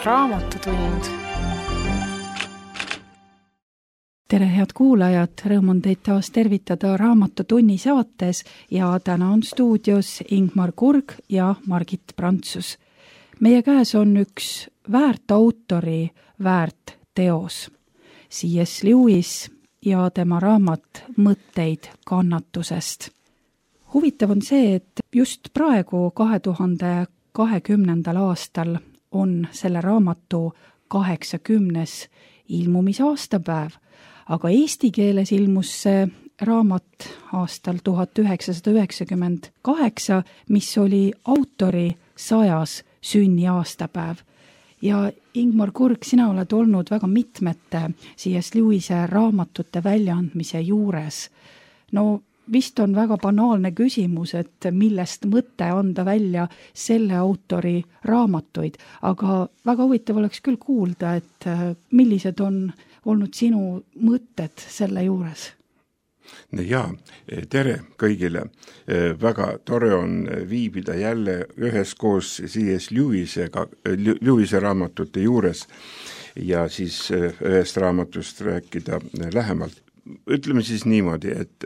Raamatutund. Tere, head kuulajad! Rõõm on teid taas tervitada Raamatutunni saates ja täna on stuudios Ingmar Kurg ja Margit Prantsus. Meie käes on üks väärt autori väärt teos, C.S. Lewis ja tema raamat Mõtteid kannatusest. Huvitav on see, et just praegu 2020. aastal on selle raamatu 80. ilmumisaastapäev, aga eesti keeles ilmus see raamat aastal 1998, mis oli autori 100. sünniaastapäev. Ja Ingmar Kurg, sina oled olnud väga mitmete C.S. Lewise raamatute väljaandmise juures. No vist on väga banaalne küsimus, et millest mõte anda välja selle autori raamatuid, aga väga huvitav oleks küll kuulda, et millised on olnud sinu mõtted selle juures? Jaa, tere kõigile. Väga tore on viibida jälle üheskoos C.S. Lewise raamatute juures ja siis ühest raamatust rääkida lähemalt. Ütleme siis niimoodi, et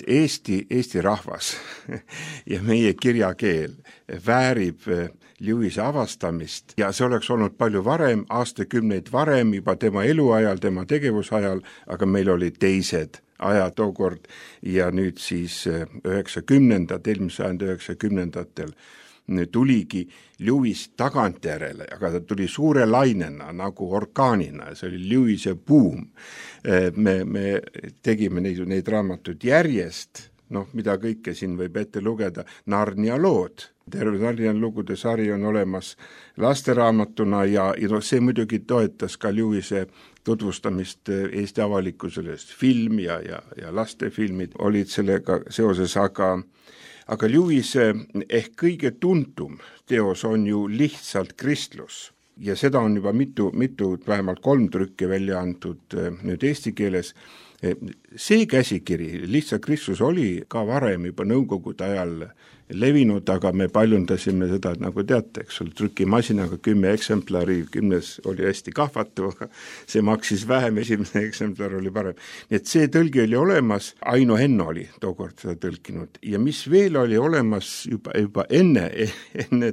Eesti rahvas ja meie kirjakeel väärib Lewise avastamist ja see oleks olnud palju varem, aastakümneid varem, juba tema eluajal, tema tegevusajal, aga meil oli teised ajad tookord ja nüüd siis 90-ndatel tuligi Lewis tagantjärele, aga ta tuli suure lainena nagu orkaanina, see oli Lewise buum. Me tegime neid raamatud järjest, mida kõike siin võib ette lugeda, Narnia lood. Terve Narnia lugude sari on olemas lasteraamatuna ja see muidugi toetas ka Lewise tutvustamist Eesti avalikkusele, film ja lastefilmid olid sellega seoses, aga Lewise ehk kõige tuntum teos on ju Lihtsalt kristlus ja seda on juba mitu, vähemalt 3 trükki välja antud nüüd eesti keeles. See käsikiri, Lihtsalt kristlus oli ka varem juba nõukogude ajal levinud, aga me paljundasime seda, nagu teate, eks ole, trükimasinaga 10 eksemplari, 10 oli hästi kahvatu, see maksis vähem, esimene eksemplar oli parem. Nii et see tõlgi oli olemas, Aino Henno oli tookord seda tõlkinud ja mis veel oli olemas juba enne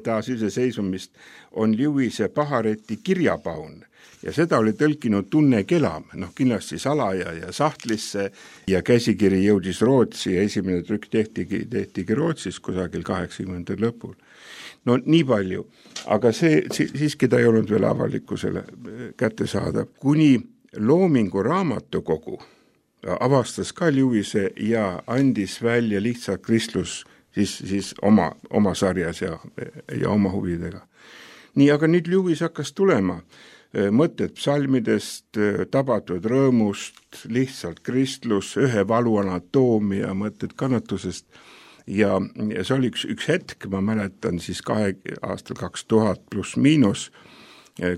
taasiseseisvumist, on Lewise Pahareti kirjapaun. Ja seda oli tõlkinud Tunne Kelam, kindlasti salaja ja sahtlisse ja käsikiri jõudis Rootsi ja esimene trükk tehtigi Rootsis kusagil 80. lõpul. Nii palju, aga see siiski ta ei olnud veel avalikkusele kättesaadav. Kuni Loomingu raamatukogu avastas ka Lewise ja andis välja Lihtsalt kristlus siis oma sarjas ja oma huvidega. Nii, aga nüüd Lewis hakkas tulema. Mõtted psalmidest, tabatud rõõmust, Lihtsalt kristlus, ühe valu anatoomia, mõtted kannatusest ja see oli üks hetk, ma mäletan siis aastal 2000 pluss miinus,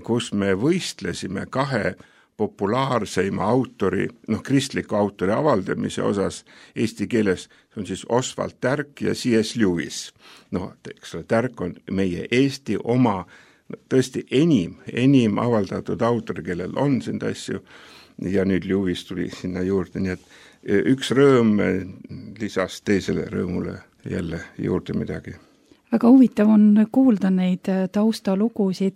kus me võistlesime 2 populaarseima autori, kristliku autori avaldamise osas eesti keeles, see on siis Oswald Tärk ja C.S. Lewis. Eks ole, Tärk on meie Eesti oma tõesti enim avaldatud autor, kellel on sind asju ja nüüd Lewis tuli sinna juurde, nii et üks rõõm lisas teisele rõõmule jälle juurde midagi. Väga huvitav on kuulda neid taustalugusid,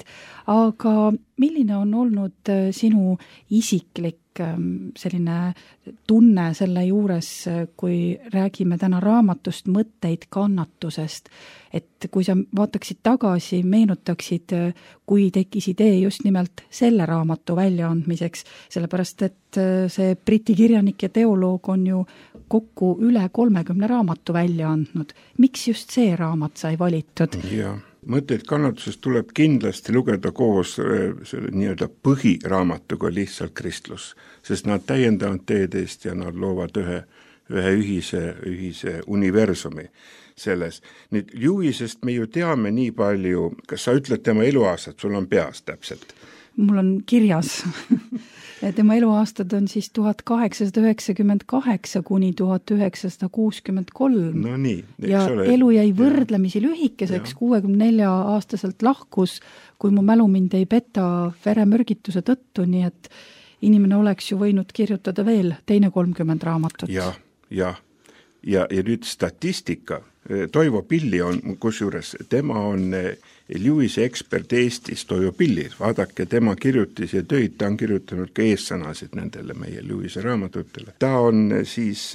aga milline on olnud sinu isiklik selline tunne selle juures, kui räägime täna raamatust Mõtteid kannatusest, et kui sa vaataksid tagasi, meenutaksid, kui tekkis idee just nimelt selle raamatu väljaandmiseks, sellepärast et see Briti kirjanik ja teoloog on ju kokku üle 30 raamatu välja andnud. Miks just see raamat sai valitud? Jaa. Mõtteid kannatusest tuleb kindlasti lugeda koos selle nii-öelda põhiraamatuga Lihtsalt kristlus, sest nad täiendavad teedeist ja nad loovad ühe ühise universumi selles. Nüüd Lewisest me ju teame nii palju, kas sa ütled tema eluaastat, sul on peas täpselt? Mul on kirjas. Tema eluaastad on siis 1898 kuni 1963. No nii, ja elu jäi võrdlemisi lühikeseks, 64-aastaselt lahkus, kui mu mälu mind ei peta veremürgituse tõttu, nii et inimene oleks ju võinud kirjutada veel teine 30 raamatut. Ja nüüd statistika. Toivo Pilli on, kusjuures tema on Lewise ekspert Eestis, Toivo Pilli, vaadake tema kirjutis ja töid, ta on kirjutanud ka eessõnasid nendele meie Lewise raamatutele. Ta on siis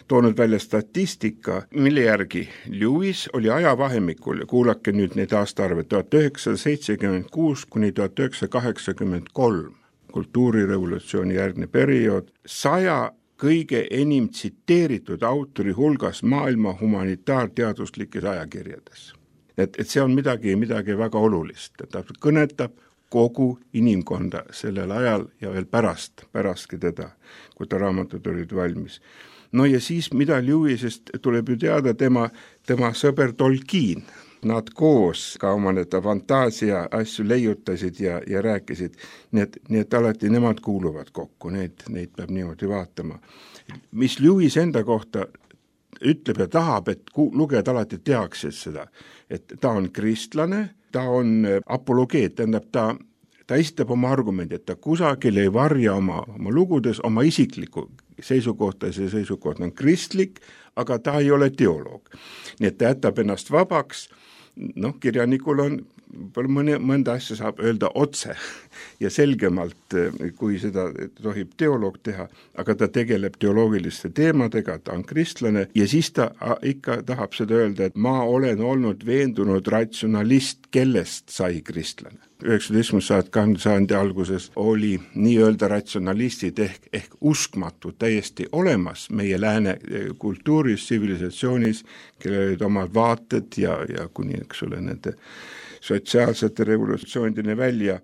toonud välja statistika, mille järgi Lewis oli ajavahemikul, kuulake nüüd neid aastaarve, 1976 kuni 1983, kultuurirevolutsiooni järgne periood, 100 kõige enim tsiteeritud autori hulgas maailma humanitaarteaduslikes ajakirjades. Et see on midagi väga olulist, ta kõnetab kogu inimkonda sellel ajal ja veel pärastki teda, kui ta raamatud olid valmis. No ja siis, mida Lewisest tuleb ju teada, tema sõber Tolkien, nad koos ka oma need fantaasia asju leiutasid ja rääkisid, nii et alati nemad kuuluvad kokku, neid peab niimoodi vaatama. Mis Lewis enda kohta ütleb ja tahab, et lugejad alati teaksid seda, et ta on kristlane, ta on apologeet, tähendab ta esitab oma argumendi, et ta kusagil ei varja oma lugudes oma isiklikku seisukohta, see seisukoht on kristlik, aga ta ei ole teoloog. Nii et ta jätab ennast vabaks, kirjanikul on mõnda asja saab öelda otse ja selgemalt, kui seda tohib teoloog teha, aga ta tegeleb teoloogiliste teemadega, ta on kristlane ja siis ta ikka tahab seda öelda, et ma olen olnud veendunud ratsionalist, kellest sai kristlane. 19. sajandi alguses oli nii-öelda ratsionalistid ehk uskmatud täiesti olemas meie lääne kultuuris, tsivilisatsioonis, kellel olid omad vaated ja kuni, eks ole, nende sotsiaalsete revolutsioonideni välja,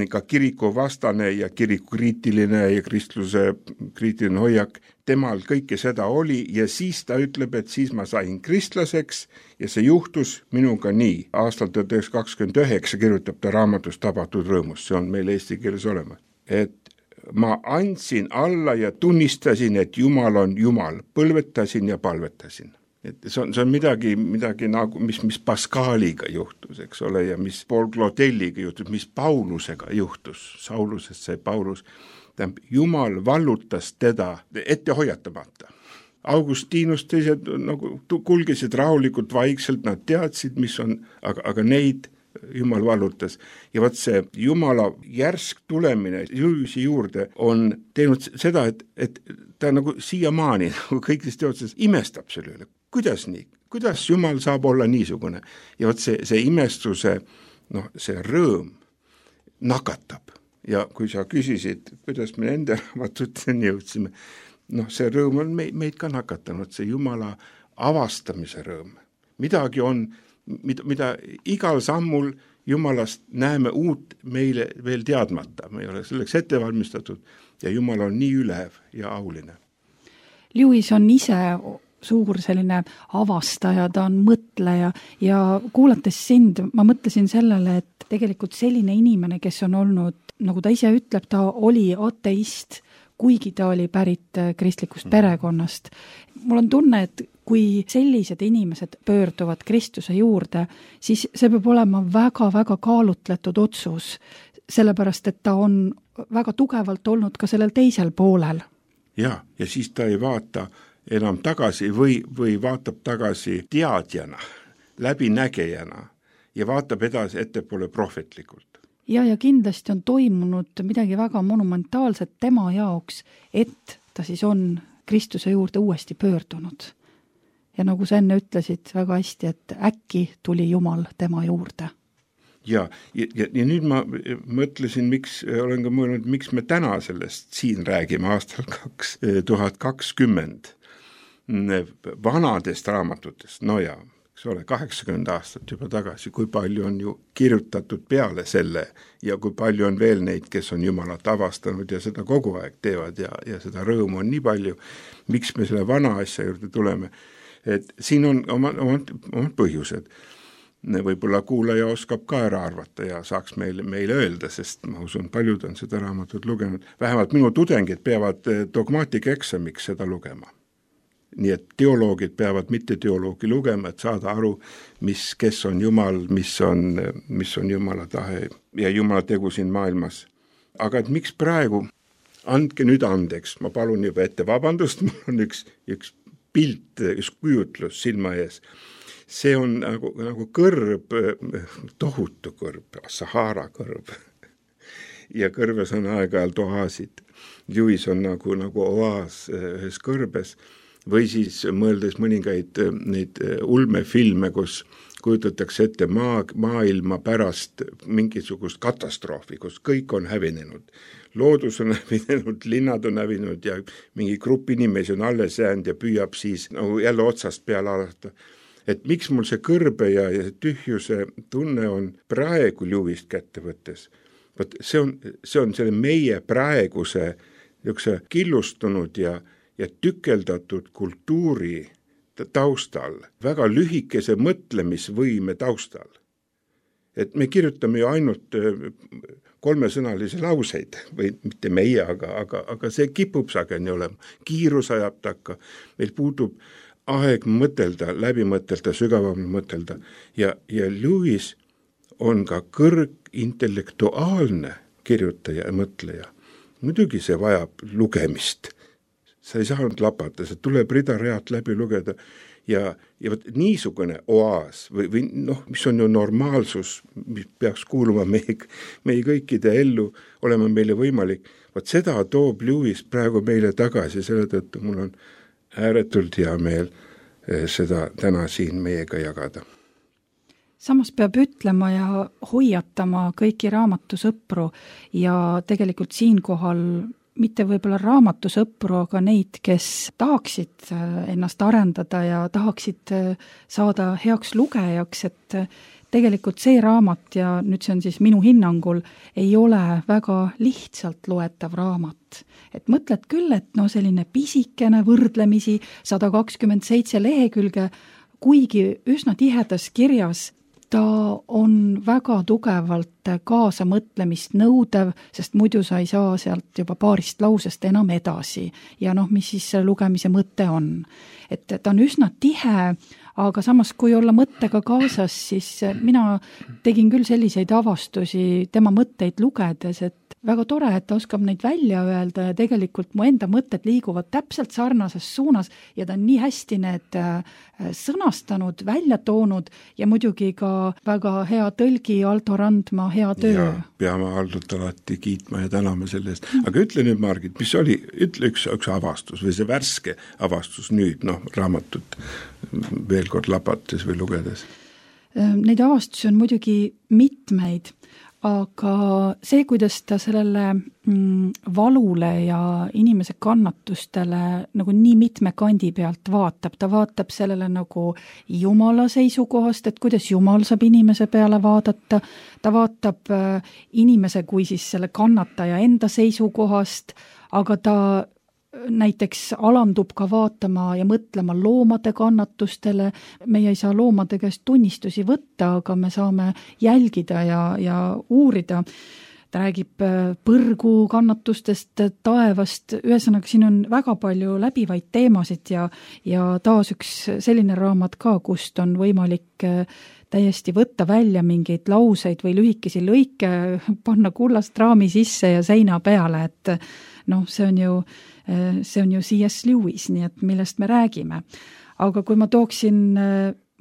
ka kiriku vastane ja kiriku kriitiline ja kristluse kriitiline hoiak, temal kõike seda oli ja siis ta ütleb, et siis ma sain kristlaseks ja see juhtus minuga nii. Aastal 1929 kirjutab ta raamatus Tabatud rõõmus, see on meil eesti keeles olemas. Et ma andsin alla ja tunnistasin, et Jumal on Jumal, põlvetasin ja palvetasin. Et see on midagi nagu, mis Pascaliga juhtus, eks ole, ja mis Paul Claudelliga juhtus, mis Paulusega juhtus, Saulusest sai Paulus. Jumal vallutas teda ette hoiatamata. Augustinus teised kulgesid rahulikult vaikselt, nad teadsid, mis on, aga neid Jumal vallutas. Ja vaat see Jumala järsk tulemine Lewisi juurde on teinud seda, et ta nagu siiamaani kõigist teadustes imestab selle üle. Kuidas nii? Kuidas Jumal saab olla niisugune? Ja vaat see imestuse, see rõõm nakatab. Ja kui sa küsisid, kuidas me nende raamatuteni jõudsime, see rõõm on meid ka nakatanud, see Jumala avastamise rõõm. Midagi on, mida igal sammul Jumalast näeme uut meile veel teadmata. Me ei ole selleks ette valmistatud ja Jumal on nii ülev ja auline. Lewis on ise suur selline avastaja, ta on mõtleja ja kuulates sind, ma mõtlesin sellele, et tegelikult selline inimene, kes on olnud, nagu ta ise ütleb, ta oli ateist, kuigi ta oli pärit kristlikust perekonnast. Mul on tunne, et kui sellised inimesed pöörduvad Kristuse juurde, siis see peab olema väga-väga kaalutletud otsus, sellepärast, et ta on väga tugevalt olnud ka sellel teisel poolel. Ja siis ta ei vaata enam tagasi või vaatab tagasi teadjana, läbinägejana ja vaatab edasi ettepoole prohvetlikult. Ja kindlasti on toimunud midagi väga monumentaalset tema jaoks, et ta siis on Kristuse juurde uuesti pöördunud. Ja nagu sa enne ütlesid väga hästi, et äkki tuli Jumal tema juurde. Ja nüüd ma mõtlesin, olen ka mõelnud, miks me täna sellest siin räägime aastal 2020 vanadest raamatutest, eks ole, 80 aastat juba tagasi, kui palju on ju kirjutatud peale selle ja kui palju on veel neid, kes on Jumalat avastanud ja seda kogu aeg teevad ja seda rõõmu on nii palju, miks me selle vana asja juurde tuleme, et siin on omad põhjused. võib-olla kuulaja oskab ka ära arvata ja saaks meile öelda, sest ma usun, paljud on seda raamatut lugenud. Vähemalt minu tudengid peavad dogmaatikaeksamiks seda lugema. Nii et teoloogid peavad mitte teoloogi lugema, et saada aru, kes on Jumal, mis on Jumala tahe ja Jumala tegu siin maailmas. Aga et miks praegu, andke nüüd andeks, ma palun juba ette vabandust, mul on üks pilt, üks kujutlus silma ees. See on nagu kõrb, tohutu kõrb, Sahara kõrb. Ja kõrves on aeg-ajalt oaasid. Lewis on nagu oaas ühes kõrbes. Või siis mõeldes mõningaid neid ulmefilme, kus kujutatakse ette maailma pärast mingisugust katastroofi, kus kõik on hävinenud. Loodus on hävinenud, linnad on hävinenud ja mingi grupp inimesi on alles jäänud ja püüab siis jälle otsast peale alata. Et miks mul see kõrbe ja tühjuse tunne on praegu Lewist kätte võttes? See on selle meie praeguse killustunud ja tükeldatud kultuuri taustal, väga lühikese mõtlemisvõime taustal. Et me kirjutame ju ainult 3-sõnalisi lauseid, või mitte meie, aga see kipub sageli olema. Kiirus ajab takka, meil puudub aeg mõtelda, läbi mõtelda, sügavamalt mõtelda ja Lewis on ka kõrgintellektuaalne kirjutaja ja mõtleja. Muidugi see vajab lugemist. Sa ei saanud lapata, see tuleb rida-realt läbi lugeda ja niisugune oaas või mis on ju normaalsus, mis peaks kuuluma meie kõikide ellu, olema meile võimalik. Seda toob Lewis praegu meile tagasi, selle tõttu mul on ääretult hea meel seda täna siin meiega jagada. Samas peab ütlema ja hoiatama kõiki raamatusõpru ja tegelikult siinkohal mitte võib-olla raamatusõpru, aga neid, kes tahaksid ennast arendada ja tahaksid saada heaks lugejaks, et tegelikult see raamat ja nüüd see on siis minu hinnangul, ei ole väga lihtsalt loetav raamat. Et mõtled küll, et selline pisikene võrdlemisi 127 lehekülge, kuigi üsna tihedas kirjas, ta on väga tugevalt kaasamõtlemist nõudev, sest muidu sa ei saa sealt juba paarist lausest enam edasi. Ja mis siis lugemise mõte on. Et ta on üsna tihe, aga samas kui olla mõttega kaasas, siis mina tegin küll selliseid avastusi tema mõtteid lugedes, et väga tore, et ta oskab neid välja öelda ja tegelikult mu enda mõtted liiguvad täpselt sarnases suunas ja ta on nii hästi need sõnastanud, välja toonud ja muidugi ka väga hea tõlgi Aldo Randma hea töö. Ja, peame Aldot alati kiitma ja täname selle eest. Aga ütle nüüd, Margit, mis oli, ütle üks avastus või see värske avastus nüüd, raamatut veel kord lapates või lugedes? Neid avastusi on muidugi mitmeid, aga see, kuidas ta sellele valule ja inimese kannatustele nagu nii mitme kandi pealt vaatab, ta vaatab sellele nagu Jumala seisukohast, et kuidas Jumal saab inimese peale vaadata, ta vaatab inimese kui siis selle kannataja enda seisukohast, aga ta näiteks alandub ka vaatama ja mõtlema loomade kannatustele. Meie ei saa loomade käest tunnistusi võtta, aga me saame jälgida ja uurida. Ta räägib põrgu kannatustest, taevast, ühesõnaga siin on väga palju läbivaid teemasid ja taas üks selline raamat ka, kust on võimalik täiesti võtta välja mingeid lauseid või lühikesi lõike, panna kullast raami sisse ja seina peale, et see on ju C.S. Lewis, nii et millest me räägime. Aga kui ma tooksin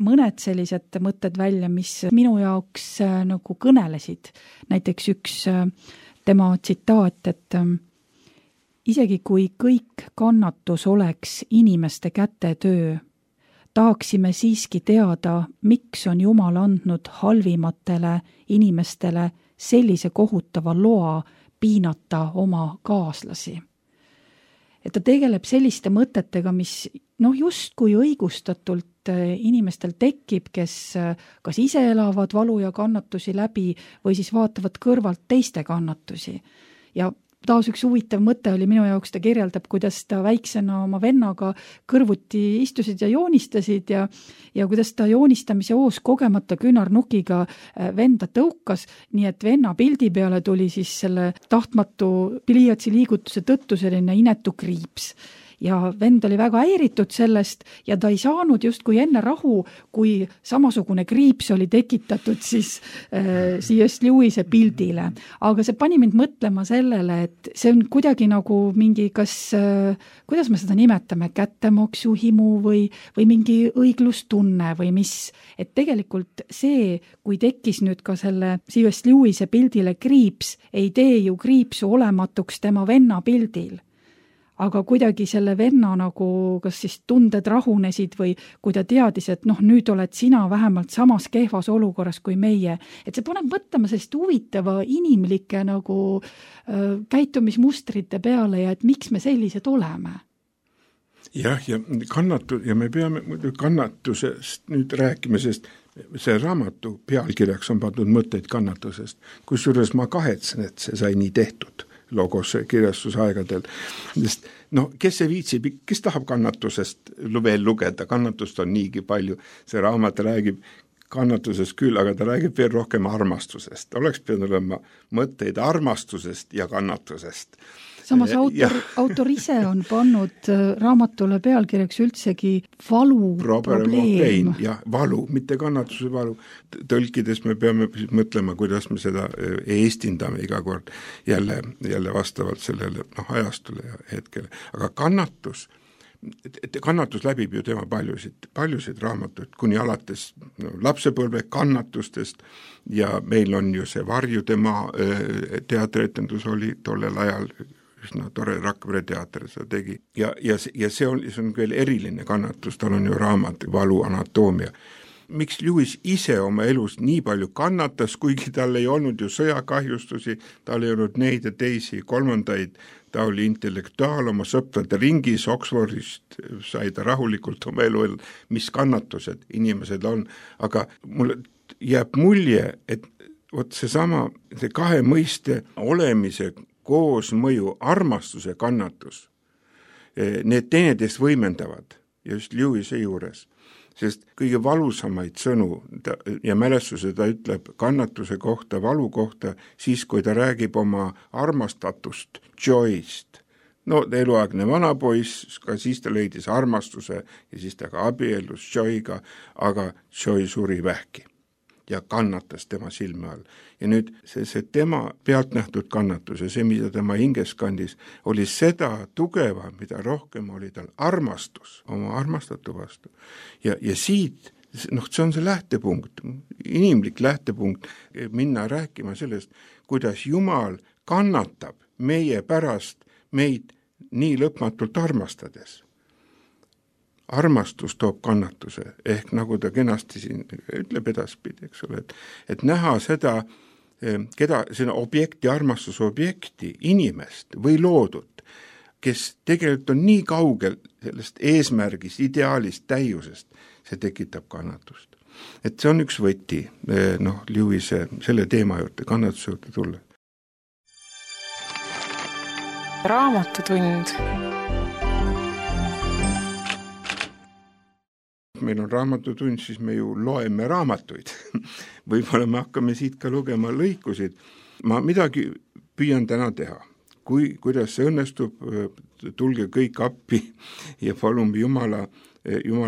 mõned sellised mõtted välja, mis minu jaoks nagu kõnelesid, näiteks üks tema tsitaat, et isegi kui kõik kannatus oleks inimeste kätetöö, tahaksime siiski teada, miks on Jumal andnud halvimatele inimestele sellise kohutava loa piinata oma kaaslasi. Et ta tegeleb selliste mõtetega, mis justkui õigustatult inimestel tekib, kes kas ise elavad valu ja kannatusi läbi või siis vaatavad kõrvalt teiste kannatusi. Ja taas üks huvitav mõte oli minu jaoks, ta kirjeldab, kuidas ta väiksena oma vennaga kõrvuti istusid ja joonistasid ja kuidas ta joonistamise hoos kogemata küünarnukiga venda tõukas, nii et venna pildi peale tuli siis selle tahtmatu pliiatsi liigutuse tõttu selline inetu kriips. Ja vend oli väga häiritud sellest ja ta ei saanud justkui enne rahu, kui samasugune kriips oli tekitatud siis C.S. Lewise pildile. Aga see pani mind mõtlema sellele, et see on kuidagi nagu mingi, kuidas me seda nimetame, kättemaksuhimu või mingi õiglustunne või mis. Et tegelikult see, kui tekkis nüüd ka selle C.S. Lewise pildile kriips, ei tee ju kriipsu olematuks tema venna pildil. Aga kuidagi selle venna nagu, kas siis tunded rahunesid või kui ta teadis, et nüüd oled sina vähemalt samas kehvas olukorras kui meie. Et see paneb mõtlema sellist huvitava inimlike nagu käitumismustrite peale ja et miks me sellised oleme. Jah, ja me peame kannatusest nüüd rääkima, sest see raamatu pealkirjaks on pandud mõtteid kannatusest, kusjuures ma kahetsen, et see sai nii tehtud logos kirjastusaegadel. Sest kes see viitsib, kes tahab kannatusest veel lugeda, kannatust on niigi palju, see raamat räägib kannatusest küll, aga ta räägib veel rohkem armastusest. Oleks pidanud olema mõtteid armastusest ja kannatusest. Samas autor ise on pannud raamatule pealkirjaks üldsegi valu probleem. Ja valu, mitte kannatuse valu. Tõlkides me peame mõtlema, kuidas me seda eestindame iga kord jälle vastavalt sellele ajastule ja hetkele. Aga kannatus läbib ju tema paljusid raamatuid, kuni alates lapsepõlve kannatustest ja meil on ju see Varjude maa teatretendus oli tollel ajal üsna tore, Rakvere teater seda tegi. Ja see on veel eriline kannatus, tal on ju raamat Valu anatoomia. Miks Lewis ise oma elus nii palju kannatas, kuigi tal ei olnud ju sõjakahjustusi, tal ei olnud neid ja teisi kolmandaid, ta oli intellektuaal oma sõprade ringis, Oxfordist sai ta rahulikult oma elu, mis kannatused inimesed on, aga mulle jääb mulje, et see kahe mõiste olemise koosmõju, armastuse kannatus, need teineteist võimendavad just Lewise juures, sest kõige valusamaid sõnu ja mälestuse ta ütleb kannatuse kohta, valu kohta, siis kui ta räägib oma armastatust, Joyst. Eluaegne vanapoiss, ka siis ta leidis armastuse ja siis ta ka abiellus Joyga, aga Joy suri vähki ja kannatas tema silme all. Ja nüüd see tema pealt nähtud kannatus ja see, mida tema hinges kandis, oli seda tugeva, mida rohkem oli tal armastus oma armastatu vastu. Ja siit, see on see lähtepunkt, inimlik lähtepunkt, minna rääkima sellest, kuidas Jumal kannatab meie pärast meid nii lõpmatult armastades. Armastus toob kannatuse, ehk nagu ta kenasti siin ütleb edaspidi, eks ole, et näha seda, seda objekti, armastusobjekti, inimest või loodut, kes tegelikult on nii kaugel sellest eesmärgist, ideaalist, täiusest, see tekitab kannatust. Et see on üks võti, Lewise selle teema juurde, kannatuse juurde tulla. Raamatutund. Meil on raamatutund, siis me ju loeme raamatuid. Võib-olla me hakkame siit ka lugema lõikusid. Ma midagi püüan täna teha. Kuidas see õnnestub, tulge kõik appi ja palume Jumala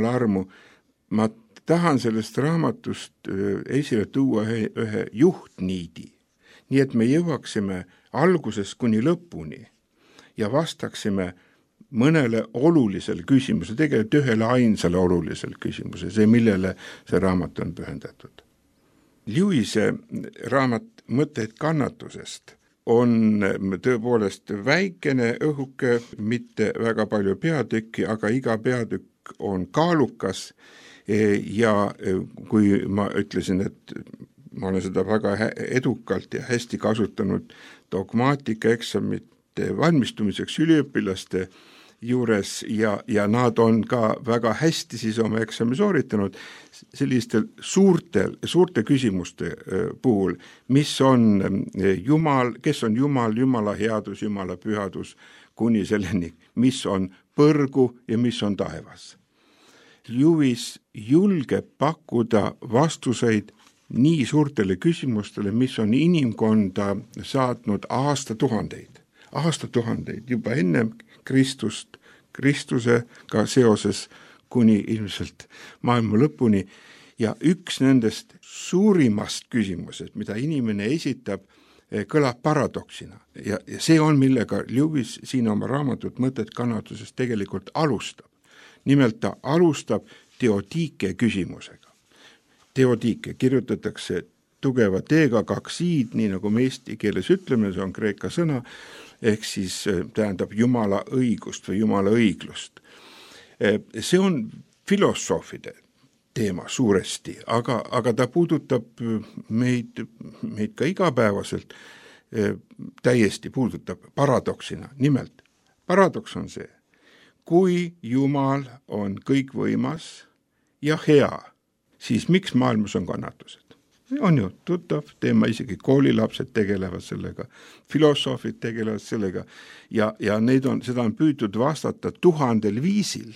armu. Ma tahan sellest raamatust esile tuua ühe juhtniidi, nii et me jõuaksime algusest kuni lõpuni ja vastaksime mõnele olulisele küsimuse, tegelikult ühele ainsale olulisele küsimuse, see, millele see raamat on pühendatud. Lewise raamat Mõtteid kannatusest on tõepoolest väikene õhuke, mitte väga palju peatükki, aga iga peatükk on kaalukas ja kui ma ütlesin, et ma olen seda väga edukalt ja hästi kasutanud dogmaatikaeksamite valmistumiseks üliõpilaste juures ja nad on ka väga hästi siis oma eksami sooritanud sellistel suurte küsimuste puhul, mis on Jumal, kes on Jumal, Jumala headus, Jumala pühadus, kuni selleni, mis on põrgu ja mis on taevas. Lewis julgeb pakkuda vastuseid nii suurtele küsimustele, mis on inimkonda saatnud aastatuhandeid juba enne Kristusega seoses kuni ilmselt maailma lõpuni. Ja üks nendest suurimast küsimusest, mida inimene esitab, kõlab paradoksina. Ja see on, millega Lewis siin oma raamatut Mõtted kannatusest tegelikult alustab. Nimelt ta alustab teotiike küsimusega. Teotiike kirjutatakse tugeva teega 2 i-d, nii nagu me eesti keeles ütleme, see on kreeka sõna, ehk siis tähendab Jumala õigust või Jumala õiglust. See on filosoofide teema suuresti, aga ta puudutab meid ka igapäevaselt, täiesti puudutab paradoksina. Nimelt, paradoks on see, kui Jumal on kõikvõimas ja hea, siis miks maailmas on kannatused? On ju tuttav teema, isegi koolilapsed tegelevad sellega, filosoofid tegelevad sellega ja seda on püütud vastata 1000 viisil.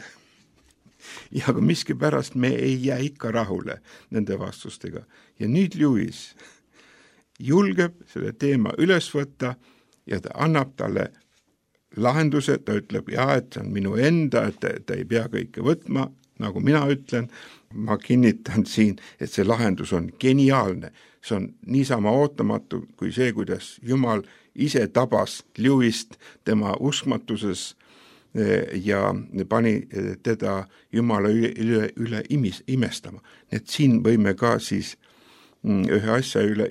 Ja aga miskipärast me ei jää ikka rahule nende vastustega. Ja nüüd Lewis julgeb selle teema üles võtta ja ta annab talle lahenduse, ta ütleb, et see on minu enda, et ta ei pea kõike võtma, nagu mina ütlen. Ma kinnitan siin, et see lahendus on geniaalne. See on niisama ootamatu kui see, kuidas Jumal ise tabas Lewist tema uskmatuses ja pani teda Jumala üle imestama. Et siin võime ka siis ühe asja üle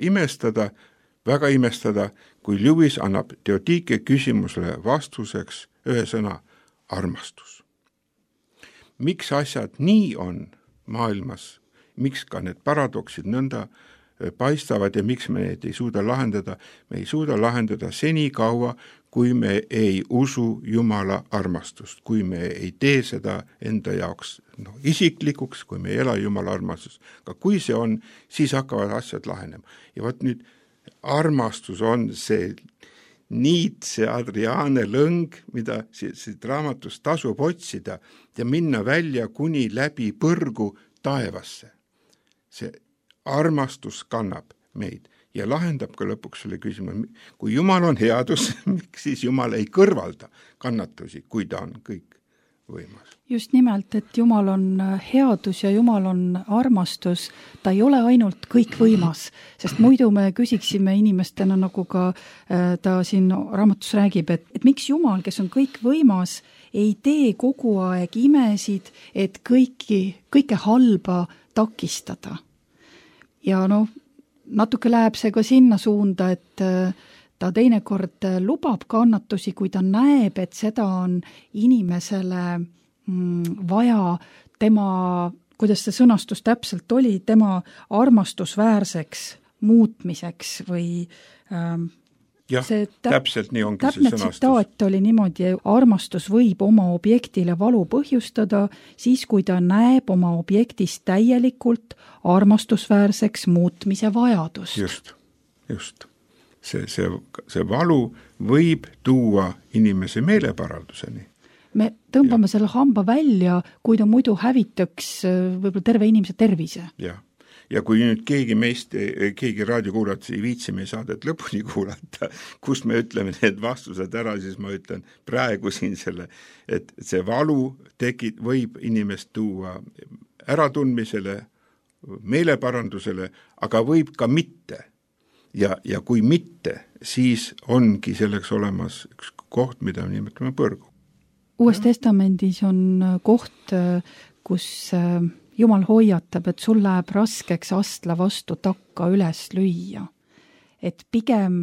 väga imestada, kui Lewis annab teotiike küsimusele vastuseks ühe sõna armastus. Miks asjad nii on maailmas, miks ka need paradoksid nõnda paistavad ja miks me neid ei suuda lahendada? Me ei suuda lahendada senikaua, kui me ei usu Jumala armastust, kui me ei tee seda enda jaoks isiklikuks, kui me ei ela Jumala armastust. Aga kui see on, siis hakkavad asjad lahenema. Ja võt nüüd armastus on see niit, see Adriaane lõng, mida siit raamatust tasub otsida ja minna välja kuni läbi põrgu taevasse. See armastus kannab meid ja lahendab ka lõpuks selle küsimuse, kui Jumal on headus, miks siis Jumal ei kõrvalda kannatusi, kui ta on kõik võimas. Just nimelt, et Jumal on headus ja Jumal on armastus, ta ei ole ainult kõik võimas, sest muidu me küsiksime inimestena, nagu ka ta siin raamatus räägib, et miks Jumal, kes on kõik võimas, ei tee kogu aeg imesid, et kõike halba takistada. Ja natuke läheb see ka sinna suunda, et ta teinekord lubab kannatusi, kui ta näeb, et seda on inimesele vaja tema, kuidas see sõnastus täpselt oli, tema armastusväärseks muutmiseks või jah, täpselt nii ongi see sõnastus. Täpne tsitaat oli niimoodi, armastus võib oma objektile valu põhjustada, siis kui ta näeb oma objektist täielikult armastusväärseks muutmise vajadust. Just. See valu võib tuua inimese meeleparalduseni. Me tõmbame selle hamba välja, kui ta muidu hävitaks võib-olla terve inimese tervise. Ja kui nüüd keegi raadiokuulajat ei viitsi meie saadet lõpuni kuulata, kus me ütleme need vastused ära, siis ma ütlen praegu siin selle, et see valu võib inimest tuua äratundmisele, meeleparandusele, aga võib ka mitte. Ja kui mitte, siis ongi selleks olemas üks koht, mida me nimetame põrgu. Uues testamendis on koht, kus Jumal hoiatab, et sul läheb raskeks astla vastu takka üles lüüa. Et pigem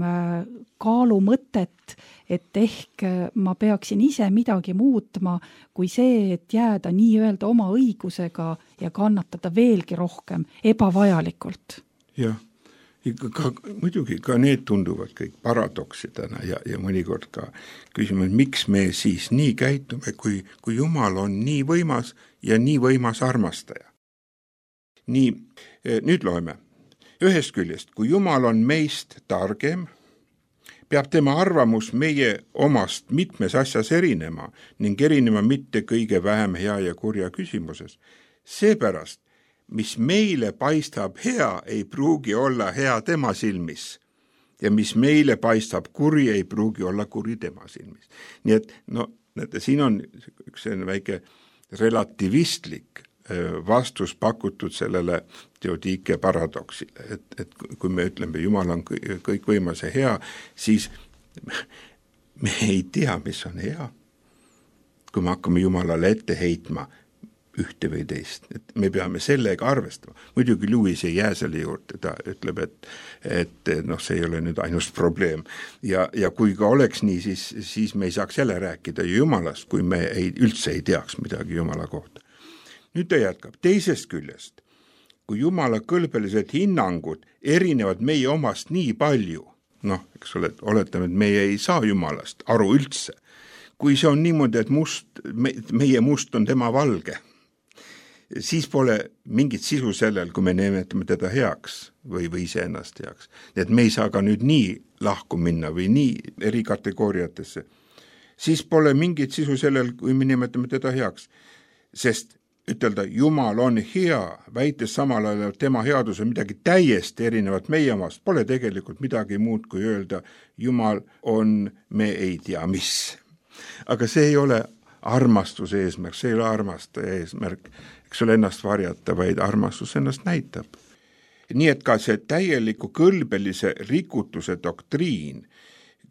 kaalu mõtet, et ehk ma peaksin ise midagi muutma, kui see, et jääda nii-öelda oma õigusega ja kannatada veelgi rohkem ebavajalikult. muidugi ka need tunduvad kõik paradoksidena ja mõnikord ka küsime, miks me siis nii käitume, kui Jumal on nii võimas ja nii võimas armastaja. Nii, nüüd loeme. Ühest küljest, kui Jumal on meist targem, peab tema arvamus meie omast mitmes asjas erinema ning erinema mitte kõige vähem hea ja kurja küsimuses. Seepärast, mis meile paistab hea, ei pruugi olla hea tema silmis ja mis meile paistab kuri, ei pruugi olla kuri tema silmis. Nii et siin on üks väike relativistlik vastus pakutud sellele teodiike paradoksile, et kui me ütleme, Jumal on kõikvõimas ja hea, siis me ei tea, mis on hea. Kui me hakkame Jumalale ette heitma ühte või teist, et me peame sellega arvestama. Muidugi Lewis ei jää selle juurde, ta ütleb, et see ei ole nüüd ainus probleem. Ja kui ka oleks nii, siis me ei saaks jälle rääkida Jumalast, kui me üldse ei teaks midagi Jumala kohta. Nüüd ta jätkab. Teisest küljest, kui Jumala kõlbelised hinnangud erinevad meie omast nii palju, eks ole, oletame, et meie ei saa Jumalast aru üldse. Kui see on niimoodi, et meie must on tema valge, siis pole mingit sisu sellel, kui me nimetame teda heaks või iseennast heaks. Nii et me ei saa ka nüüd nii lahku minna või nii eri kategooriatesse. Siis pole mingit sisu sellel, kui me nimetame teda heaks. Sest ütelda, Jumal on hea, väites samal ajal tema headus on midagi täiesti erinevat meie omast, pole tegelikult midagi muud kui öelda, Jumal on, me ei tea mis. Aga see ei ole armastuse eesmärk, see ei ole armastaja eesmärk, eks ole ennast varjata, vaid armastus ennast näitab. Nii et ka see täieliku kõlbelise rikutuse doktriin,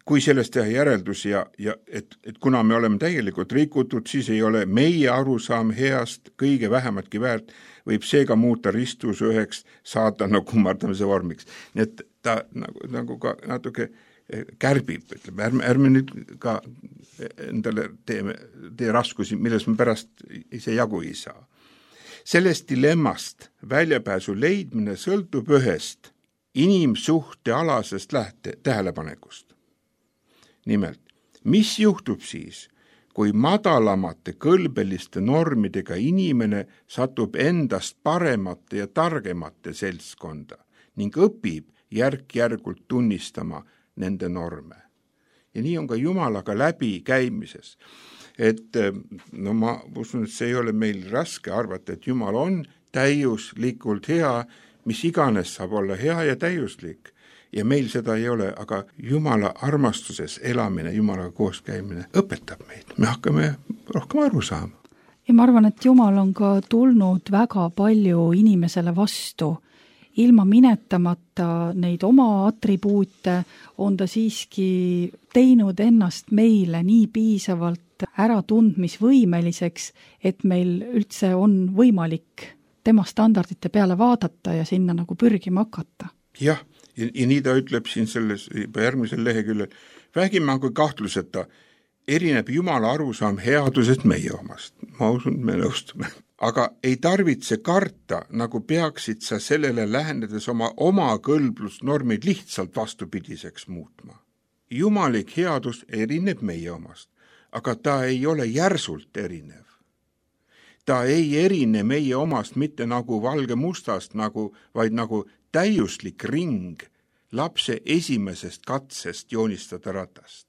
kui sellest teha järeldus et kuna me oleme täielikult rikutud, siis ei ole meie arusaam heast kõige vähematki väärt, võib seega muuta ristus üheks saatana kummardamise vormiks. Nii et ta nagu ka natuke kärbib, ütleme, ärme nüüd ka endale tee raskusi, milles me pärast ise jagu ei saa. Sellest dilemmast väljapääsu leidmine sõltub ühest inimsuhte alasest tähelepanekust. Nimelt, mis juhtub siis, kui madalamate kõlbeliste normidega inimene satub endast paremate ja targemate seltskonda ning õpib järk-järgult tunnistama nende norme. Ja nii on ka Jumalaga läbi käimises. Et ma usun, et see ei ole meil raske arvata, et Jumal on täiuslikult hea, mis iganes saab olla hea ja täiuslik. Ja meil seda ei ole, aga Jumala armastuses elamine, Jumalaga koos käimine õpetab meid. Me hakkame rohkem aru saama. Ja ma arvan, et Jumal on ka tulnud väga palju inimesele vastu. Ilma minetamata neid oma atribuute on ta siiski teinud ennast meile nii piisavalt äratundmisvõimeliseks, et meil üldse on võimalik tema standardite peale vaadata ja sinna nagu pürgima hakata. Jah, ja nii ta ütleb siin selles järgmisel leheküljel. Vähimgi kui kahtluseta erineb Jumala arusaam headusest meie omast. Ma usun, me nõustume. Aga ei tarvitse karta, nagu peaksid sa sellele lähenedes oma kõlblusnormid lihtsalt vastupidiseks muutma. Jumalik headus erineb meie omast, aga ta ei ole järsult erinev. Ta ei erine meie omast mitte nagu valge mustast, vaid nagu täiuslik ring lapse esimesest katsest joonistada ratast.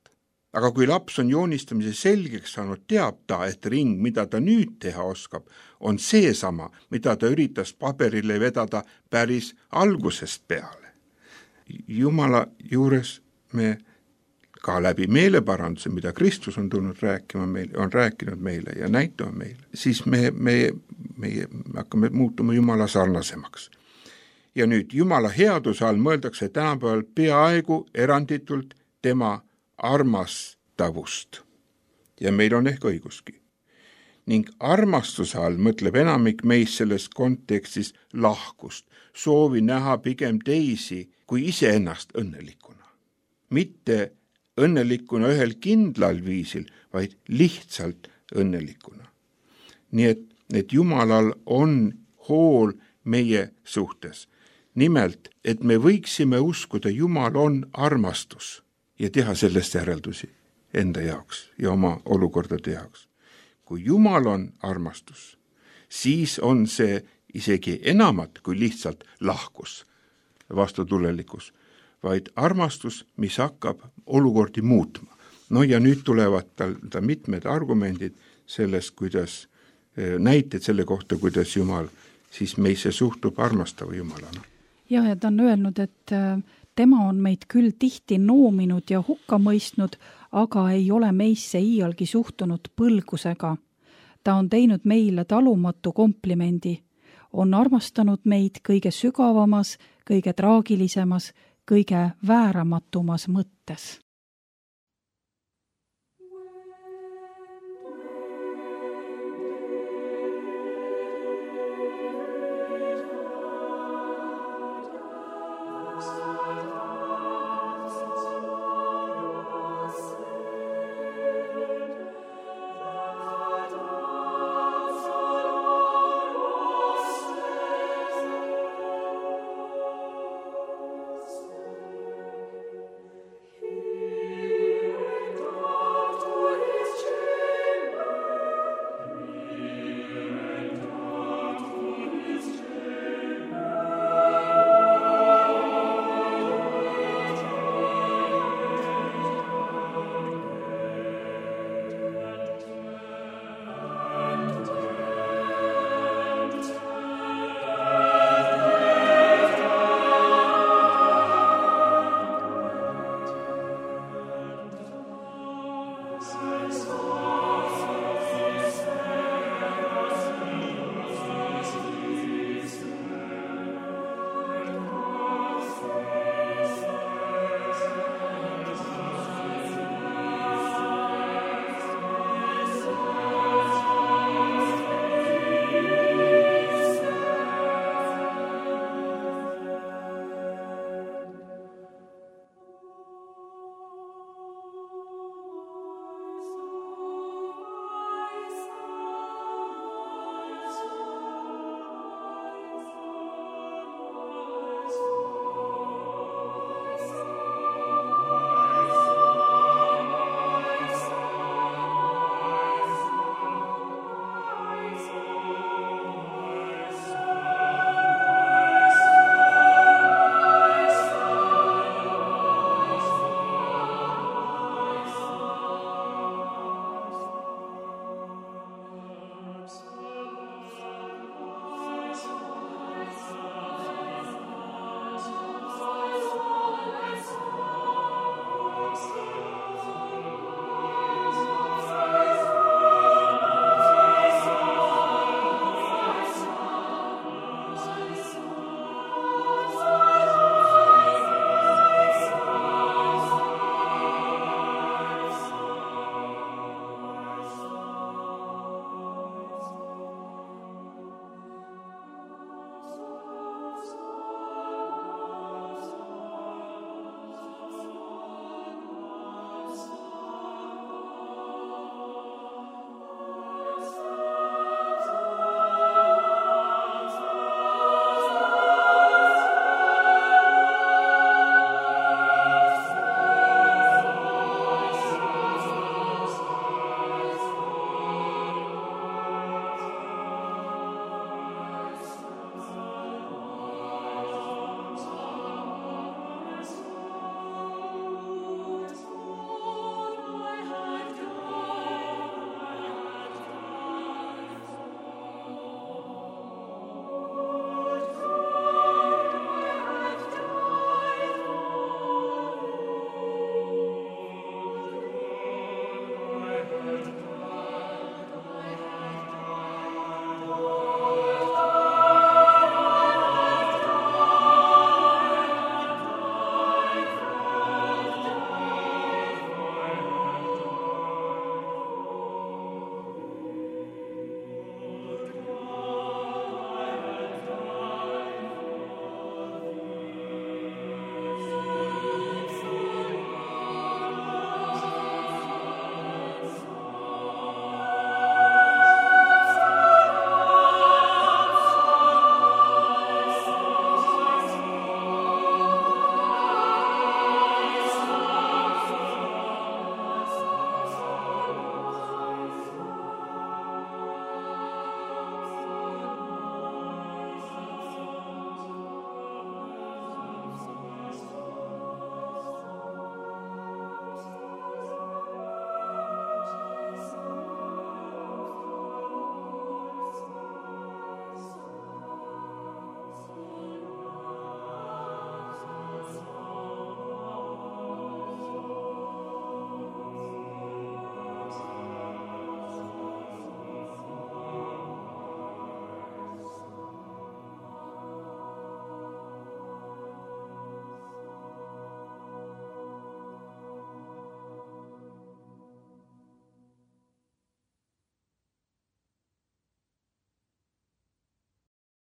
Aga kui laps on joonistamise selgeks saanud, teab ta, et ring, mida ta nüüd teha oskab, on seesama, mida ta üritas paberile vedada päris algusest peale. Jumala juures me ka läbi meeleparanduse, mida Kristus on tulnud rääkima meile, on rääkinud meile ja näitama meile, siis me hakkame muutuma Jumala sarnasemaks. Ja nüüd Jumala headuse all mõeldakse tänapäeval peaaegu eranditult tema armastavust. Ja meil on ehk õiguski. Ning armastuse all mõtleb enamik meist selles kontekstis lahkust, soovi näha pigem teisi kui iseennast õnnelikuna. Mitte õnnelikuna ühel kindlal viisil, vaid lihtsalt õnnelikuna. Nii et Jumalal on hool meie suhtes. nimelt, et me võiksime uskuda, Jumal on armastus ja teha sellest järeldusi enda jaoks ja oma olukordade jaoks. Kui Jumal on armastus, siis on see isegi enamat kui lihtsalt lahkus, vastutulelikkus, vaid armastus, mis hakkab olukordi muutma. No ja nüüd tulevad ta mitmed argumendid sellest, kuidas näited selle kohta, kuidas Jumal siis meisse suhtub armastava Jumalana. Ja ta on öelnud, et tema on meid küll tihti noominud ja hukka mõistnud, aga ei ole meisse iialgi suhtunud põlgusega. Ta on teinud meile talumatu komplimendi, on armastanud meid kõige sügavamas, kõige traagilisemas, kõige vääramatumas mõttes.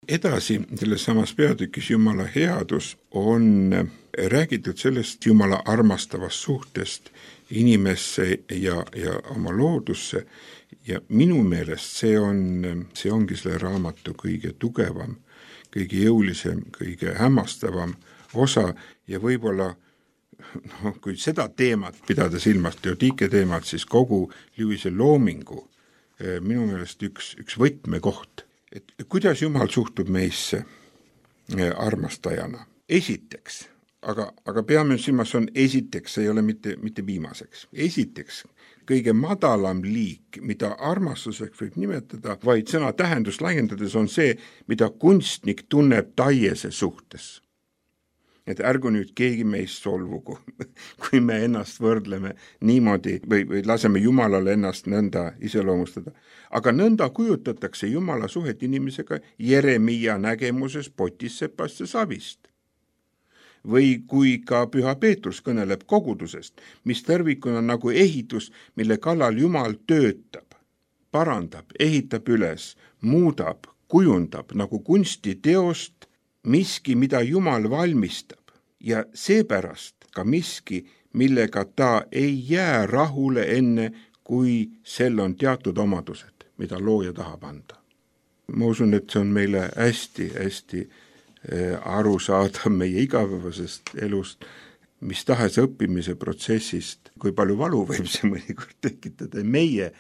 Edasi, selles samas peatükis Jumala headus on räägitud sellest Jumala armastavast suhtest inimesse ja oma loodusse ja minu meelest see ongi selle raamatu kõige tugevam, kõige jõulisem, kõige hämmastavam osa ja võib-olla kui seda teemat pidada silmas, Teodike teemat, siis kogu Lewise loomingu minu meelest üks võtmekoht. Et kuidas Jumal suhtub meisse armastajana? Esiteks, aga peame silmas on esiteks, see ei ole mitte viimaseks. Esiteks, kõige madalam liik, mida armastuseks võib nimetada, vaid sõna tähendust laiendades on see, mida kunstnik tunneb taiese suhtes. Et ärgu nüüd keegi meist solvugu, kui me ennast võrdleme niimoodi või laseme Jumalale ennast nõnda iseloomustada. Aga nõnda kujutatakse Jumala suhet inimesega Jeremia nägemuses potissepast ja savist. Või kui ka Püha Peetrus kõneleb kogudusest, mis tervikuna nagu ehitus, mille kallal Jumal töötab, parandab, ehitab üles, muudab, kujundab nagu kunstiteost, miski, mida Jumal valmistab ja seepärast ka miski, millega ta ei jää rahule enne, kui sel on teatud omadused, mida looja tahab anda. Ma usun, et see on meile hästi aru saada meie igapäevasest elust, mis tahes õppimise protsessist, kui palju valu võib see mõnikord tekitada meie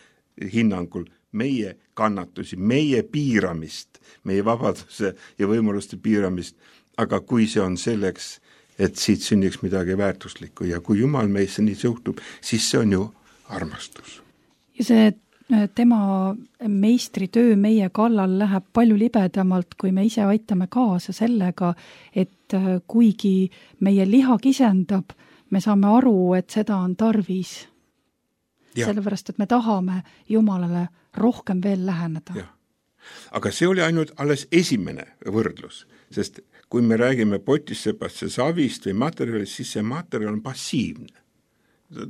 hinnangul, meie kannatusi, meie piiramist, meie vabaduse ja võimaluste piiramist, aga kui see on selleks, et siit sünniks midagi väärtuslikku ja kui Jumal meisse nii suhtub, siis see on ju armastus. Ja see tema meistritöö meie kallal läheb palju libedamalt, kui me ise aitame kaasa sellega, et kuigi meie liha kisendab, me saame aru, et seda on tarvis. Ja. Sellepärast, et me tahame Jumalale rohkem veel läheneda. Ja. Aga see oli ainult alles esimene võrdlus, sest kui me räägime potissepast ja savist või materjalist, siis see materjal on passiivne.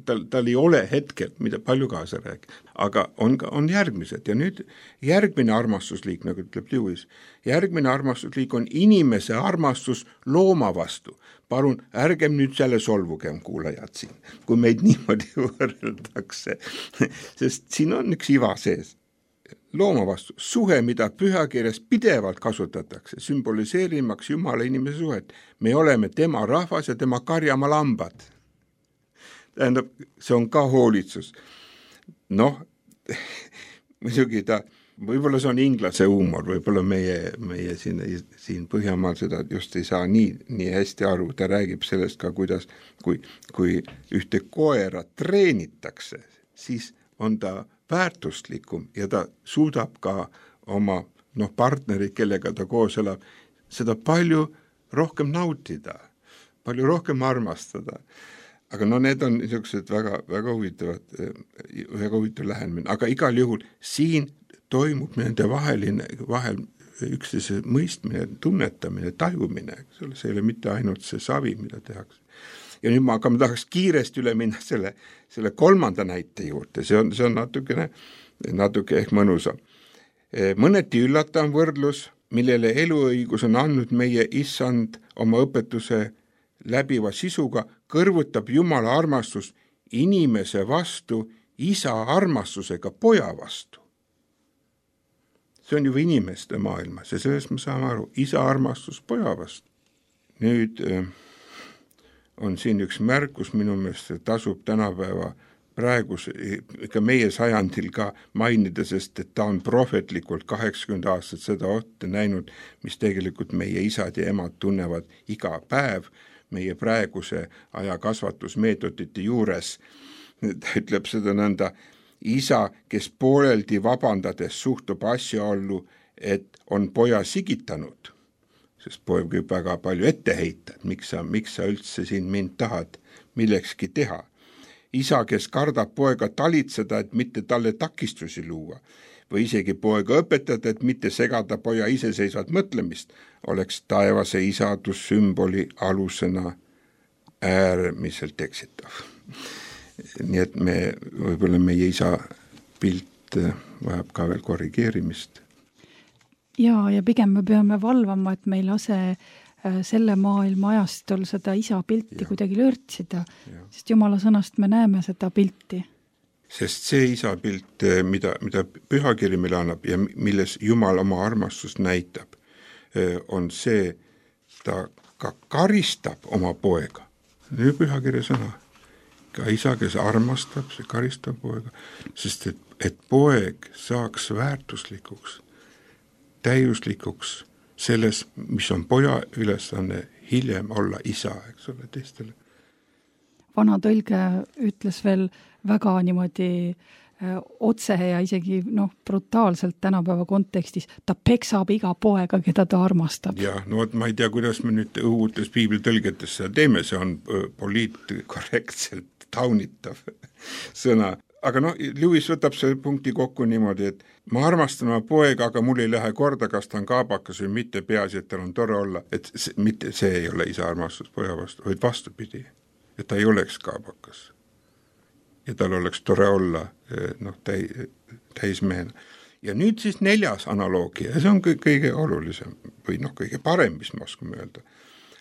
Tal ei ole hetkel, mida palju kaasa räägib, aga on järgmised ja nüüd järgmine armastusliik, nagu ütleb Lewis, järgmine armastusliik on inimese armastus looma vastu. Palun, ärgem nüüd selle solvugem kuulajad siin, kui meid niimoodi võrreldakse, sest siin on üks iva sees. Looma vastu, suhe, mida pühakirjas pidevalt kasutatakse, sümboliseerimaks Jumala inimese suhet. Me oleme tema rahvas ja tema karjama lambad. Tähendab, see on ka hoolitsus. Noh, muidugi võib-olla see on inglase huumor, võib-olla meie siin Põhjamaal seda just ei saa nii hästi aru. Ta räägib sellest ka, kuidas, kui ühte koera treenitakse, siis on ta väärtustlikum ja ta suudab ka oma partnerid, kellega ta koos elab, seda palju rohkem nautida, palju rohkem armastada. Aga need on niisugused väga huvitav lähenemine, aga igal juhul siin toimub nende vahel üksteise mõistmine, tunnetamine, tajumine, see ei ole mitte ainult see savi, mida tehakse. Ja nüüd ma tahaks kiiresti üle minna selle kolmanda näite juurde, see on natuke ehk mõnusam. Mõneti üllatav võrdlus, millele eluõigus on andnud meie issand oma õpetuse läbiva sisuga, kõrvutab Jumala armastus inimese vastu isa armastusega poja vastu. See on juba inimeste maailmas ja sellest me saame aru, isa armastus poja vastu. Nüüd on siin üks märkus minu meelest, tasub tänapäeva praegus, ikka meie sajandil ka mainida, sest et ta on prohvetlikult 80 aastat seda otte näinud, mis tegelikult meie isad ja emad tunnevad iga päev meie praeguse aja kasvatusmeetodite juures. Ta ütleb seda nõnda, isa, kes pooleldi vabandades suhtub asjaollu, et on poja sigitanud, sest poeg võib väga palju ette heita, et miks sa üldse siin mind tahad millekski teha. Isa, kes kardab poega talitseda, et mitte talle takistusi luua, või isegi poega õpetada, et mitte segada poja iseseisvat mõtlemist, oleks taevase isadussümboli alusena äärmiselt eksitav. Nii et võib-olla meie isa pilt vajab ka veel korrigeerimist. ja pigem me peame valvama, et me ei lase selle maailma ajastul seda isa pilti kuidagi lörtsida, sest Jumala sõnast me näeme seda pilti. Sest see isa pilt, mida pühakiri meile annab ja milles Jumal oma armastust näitab, on see, ta ka karistab oma poega. See on pühakirja sõna. Ka isa, kes armastab, see karistab poega, sest et poeg saaks väärtuslikuks, täiuslikuks selles, mis on poja ülesanne hiljem olla isa, eks ole, teistele. Vana tõlge ütles veel väga niimoodi otse ja isegi brutaalselt tänapäeva kontekstis, ta peksab iga poega, keda ta armastab. Ja, ma ei tea, kuidas me nüüd uutes piiblitõlgetes seda teeme, see on poliitkorrektselt taunitav sõna. Aga Lewis võtab selle punkti kokku niimoodi, et ma armastan oma poega, aga mul ei lähe korda, kas ta on kaabakas või mitte, peaasi, et tal on tore olla. Et see ei ole isa armastus poja vastu, vaid vastupidi, et ta ei oleks kaabakas. Ja tal oleks tore olla täismehena. Ja nüüd siis 4. analoogia, ja see on kõige olulisem või kõige parem, mis ma oskame öelda.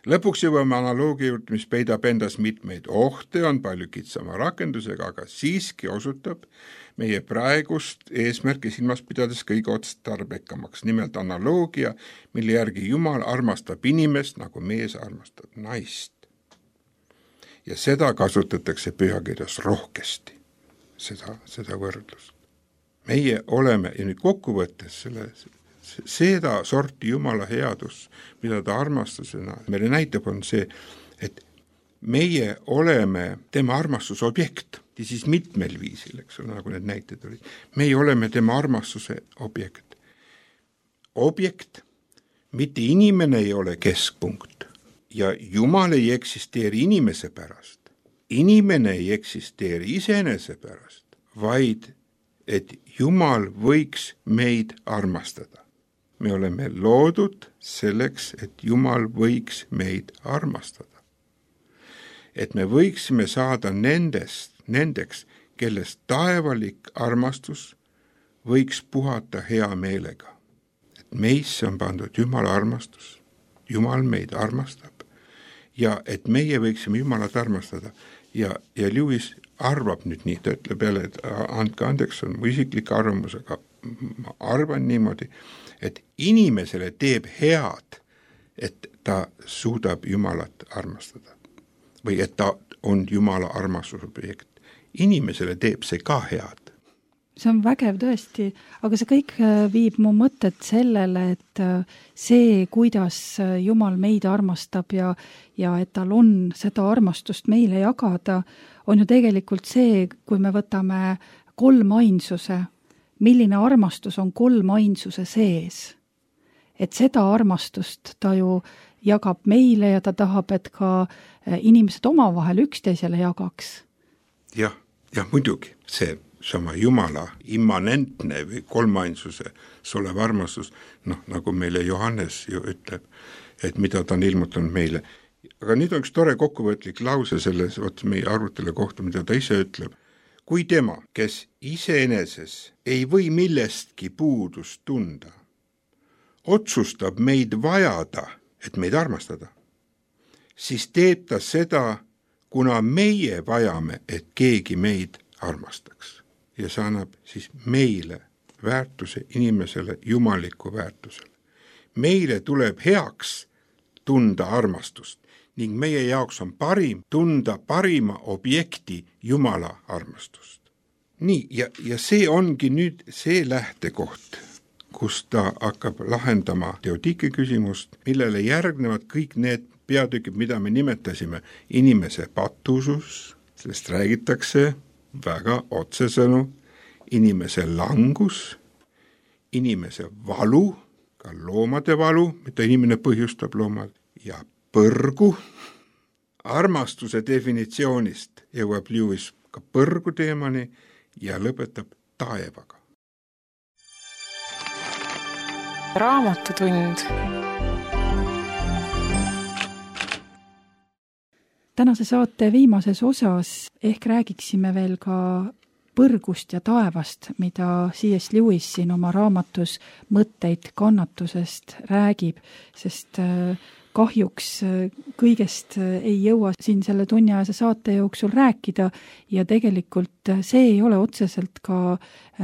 Lõpuks jõuame analoogia juurde, mis peidab endas mitmeid ohte, on palju kitsama rakendusega, aga siiski osutab meie praegust eesmärki silmas pidades kõige otstarbekamaks. Nimelt analoogia, mille järgi Jumal armastab inimest, nagu mees armastab naist. Ja seda kasutatakse pühakirjas rohkesti, seda võrdlust. Meie oleme, ja nüüd kokkuvõttes seda sorti Jumala headus, mida ta armastusena meile näitab, on see, et meie oleme tema armastuse objekt, ja siis mitmel viisil, eks ole, nagu need näited olid. Meie oleme tema armastuse objekt. Objekt, mitte inimene ei ole keskpunkt, ja Jumal ei eksisteeri inimese pärast. Inimene ei eksisteeri iseenese pärast, vaid et Jumal võiks meid armastada. Me oleme loodud selleks, et Jumal võiks meid armastada. Et me võiksime saada nendeks, kellest taevalik armastus võiks puhata hea meelega. Et meisse on pandud Jumala armastus, Jumal meid armastab ja et meie võiksime Jumalat armastada. Ja Lewis arvab nüüd nii, ta ütleb jälle, et andke andeks, on mu isiklik arvamus, aga ma arvan niimoodi, et inimesele teeb head, et ta suudab Jumalat armastada. Või et ta on Jumala armastusobjekt. Inimesele teeb see ka head. See on vägev tõesti, aga see kõik viib mu mõtted sellele, et see, kuidas Jumal meid armastab ja et tal on seda armastust meile jagada, on ju tegelikult see, kui me võtame kolmainsuse, milline armastus on kolmainsuse sees. Et seda armastust ta ju jagab meile ja ta tahab, et ka inimesed omavahel üksteisele jagaks. Jah, muidugi see sama Jumala immanentne või kolmainsuse olev armastus, nagu meile Johannes ju ütleb, et mida ta on ilmutanud meile. Aga nüüd on üks tore kokkuvõtlik lause selles meie arvutele kohta, mida ta ise ütleb. Kui tema, kes iseeneses ei või millestki puudust tunda, otsustab meid vajada, et meid armastada, siis teeb ta seda, kuna meie vajame, et keegi meid armastaks. Ja see annab siis meile väärtuse, inimesele jumaliku väärtusele. Meile tuleb heaks tunda armastust ning meie jaoks on parim tunda parima objekti Jumala armastust. Nii, ja see ongi nüüd see lähtekoht, kus ta hakkab lahendama Teodike küsimust, millele järgnevad kõik need peatükid, mida me nimetasime inimese patusus, sellest räägitakse väga otsesõnu, inimese langus, inimese valu, ka loomade valu, mida inimene põhjustab loomad, ja põrgu. Armastuse definitsioonist jõuab Lewis ka põrgu teemani ja lõpetab taevaga. Raamatutund. Tänase saate viimases osas ehk räägiksime veel ka põrgust ja taevast, mida C.S. Lewis siin oma raamatus Mõtteid kannatusest räägib, sest kahjuks kõigest ei jõua siin selle tunniajase saate jooksul rääkida ja tegelikult see ei ole otseselt ka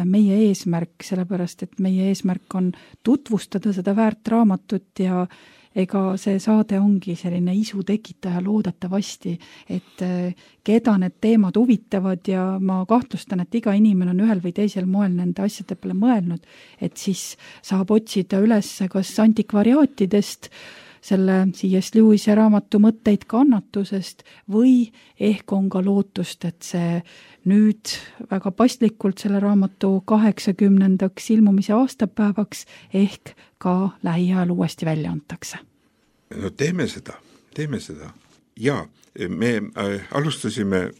meie eesmärk, sellepärast et meie eesmärk on tutvustada seda väärt raamatut ja ega see saade ongi selline isu tekitaja loodetavasti, et keda need teemad huvitavad ja ma kahtlustan, et iga inimene on ühel või teisel moel nende asjade peale mõelnud, et siis saab otsida üles kas antikvariaatidest selle C.S. Lewise raamatu Mõtteid kannatusest või ehk on ka lootust, et see nüüd väga paslikult selle raamatu 80. ilmumise aastapäevaks ehk ka lähiajal uuesti välja antakse. No teeme seda. Ja me alustasime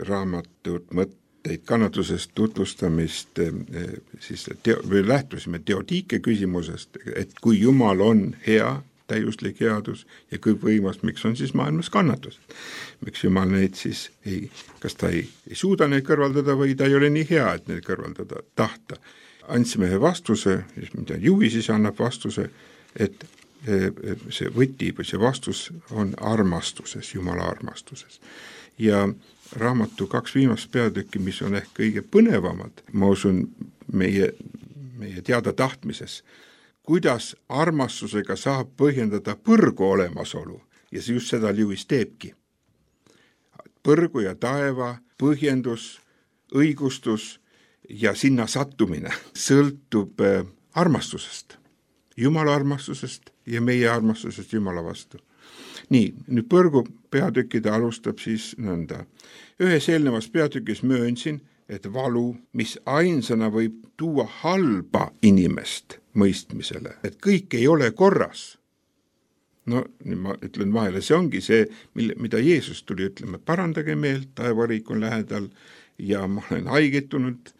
raamatut Mõtteid kannatusest tutvustamist, siis lähtusime Teodiike küsimusest, et kui Jumal on hea, täiuslik headus ja kõikvõimas, miks on siis maailmas kannatus? Miks Jumal neid siis kas ta ei suuda neid kõrvaldada või ta ei ole nii hea, et neid kõrvaldada tahta. Andsime ühe vastuse, mida Juhi siis annab vastuse, et see võti või see vastus on armastuses, Jumala armastuses. Ja raamatu 2 viimast peatükki, mis on ehk kõige põnevamad, ma usun meie teada tahtmises, kuidas armastusega saab põhjendada põrgu olemasolu ja see just seda Lewis teebki. Põrgu ja taeva põhjendus, õigustus ja sinna sattumine sõltub armastusest, Jumala armastusest ja meie armastusest Jumala vastu. Nii, nüüd põrgu peatükkide alustab siis nõnda. Ühes eelnevas peatükis möönsin, et valu, mis ainsana võib tuua halba inimest mõistmisele, et kõik ei ole korras. No ma ütlen vahele, see ongi see, mida Jeesus tuli ütlema, parandage meelt, taevariik on lähedal ja ma olen haigetunud,